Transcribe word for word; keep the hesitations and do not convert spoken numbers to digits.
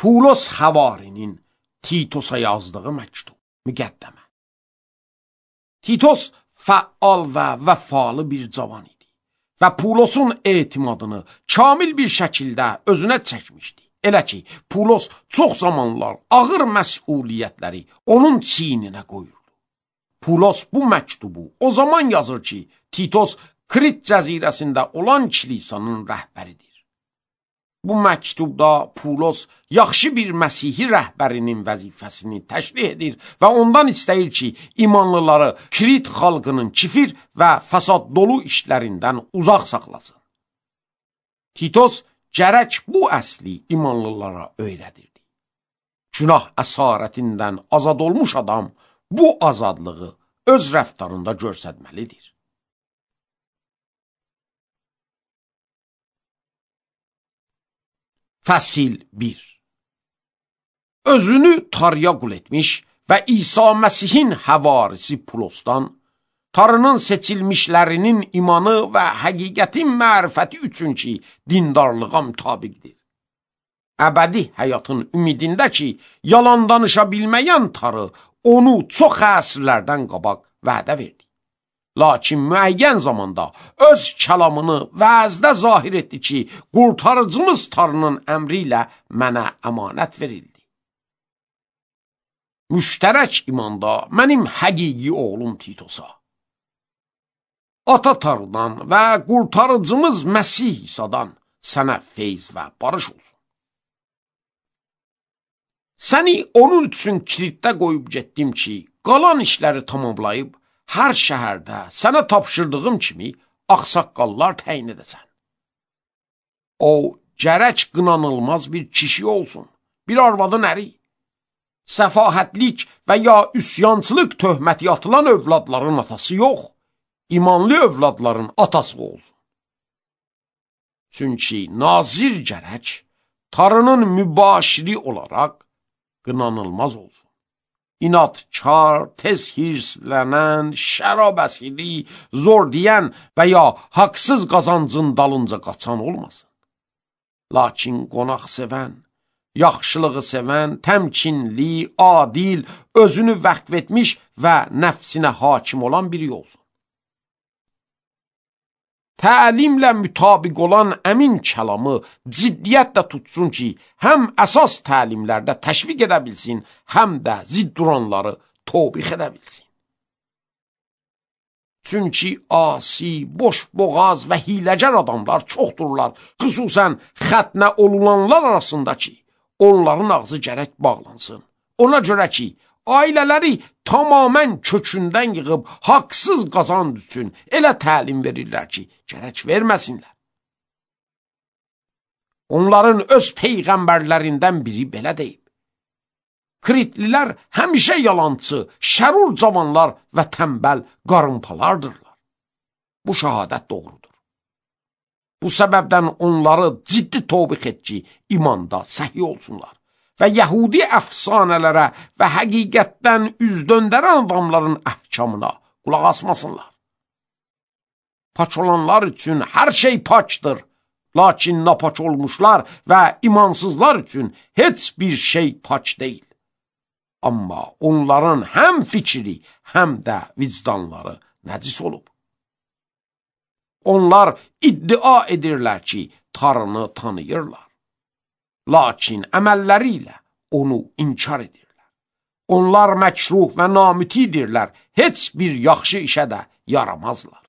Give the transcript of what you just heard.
Pulos Həvarinin Titosa yazdığı məktub, müqəddəmə. Titos fəal və vəfalı bir cavan idi və Pulosun etimadını kamil bir şəkildə özünə çəkmişdi. Elə ki, Pulos çox zamanlar ağır məsuliyyətləri onun çiyninə qoyurdu. Pulos bu məktubu o zaman yazır ki, Titos Krit cəzirəsində olan kilisanın rəhbəridir. Bu məktubda Pulos yaxşı bir Məsihi rəhbərinin vəzifəsini təşrih edir və ondan istəyir ki, imanlıları Krit xalqının kifir və fəsad dolu işlərindən uzaq saxlasın. Titos gərək bu əsli imanlılara öyrədirdi. Günah əsarətindən azad olmuş adam bu azadlığı öz rəftarında göstərməlidir. Fəsil bir. Özünü Tarıya qul etmiş və İsa Məsihin həvarisi Pulosdan, Tarının seçilmişlərinin imanı və həqiqətin mərifəti üçün ki, dindarlığa mütabiqdir. Əbədi həyatın ümidində ki, yalan danışa bilməyən Tarı onu çox əsrlərdən qabaq vədə verdi. Lakin müəyyən zamanda öz kəlamını vəzdə zahir etdi ki, qurtarıcımız Tarının əmri ilə mənə əmanət verildi. Müştərək imanda mənim həqiqi oğlum Titosa, ata Tarıdan və qurtarıcımız Məsih İsadan sənə feyz və barış olsun. Səni onun üçün Kritdə qoyub getdim ki, qalan işləri tamamlayıb, hər şəhərdə sənə tapşırdığım kimi ağsaqqallar təyin edəsən. O, gərək qınanılmaz bir kişi olsun, bir arvadın əri. Səfahətlik və ya üsyançılıq töhməti atılan övladların atası yox, imanlı övladların atası olsun. Çünki nazir gərək Tarının mübaşiri olaraq qınanılmaz olsun. İnatkar, tez hirslənən, şərab əsiri, zor deyən və ya haqsız qazancın dalınca qaçan olmasın. Lakin qonaq sevən, yaxşılığı sevən, təmkinli, adil, özünü vəqf etmiş və nəfsinə hakim olan biri olsun. Təlimlə mütabiq olan əmin kəlamı ciddiyyətlə tutsun ki, həm əsas təlimlərdə təşviq edə bilsin, həm də zidd duranları tobix edə bilsin. Çünki asi, boş boğaz və hiləgər adamlar çoxdurlar, xüsusən xətnə olulanlar arasında ki, onların ağzı gərək bağlansın. Ona görə ki, ailələri tamamən kökündən yığıb haqsız qazanc üçün elə təlim verirlər ki, gərək verməsinlər. Onların öz peyğəmbərlərindən biri belə deyib. Kritlilər həmişə yalancı, şərur cavanlar və tənbəl qarınpalardırlar. Bu şəhadət doğrudur. Bu səbəbdən onları ciddi tobix et ki, imanda səhi olsunlar. Və Yəhudi əfsanələrə və həqiqətdən üz döndərən adamların əhkamına qulaq asmasınlar. Paç olanlar üçün hər şey paçdır, lakin napaç olmuşlar və imansızlar üçün heç bir şey paç deyil. Amma onların həm fikri, həm də vicdanları nəcis olub. Onlar iddia edirlər ki, Tarını tanıyırlar. Lakin əməlləri ilə onu inkar edirlər. Onlar məkruh və namütidirlər, heç bir yaxşı işə də yaramazlar.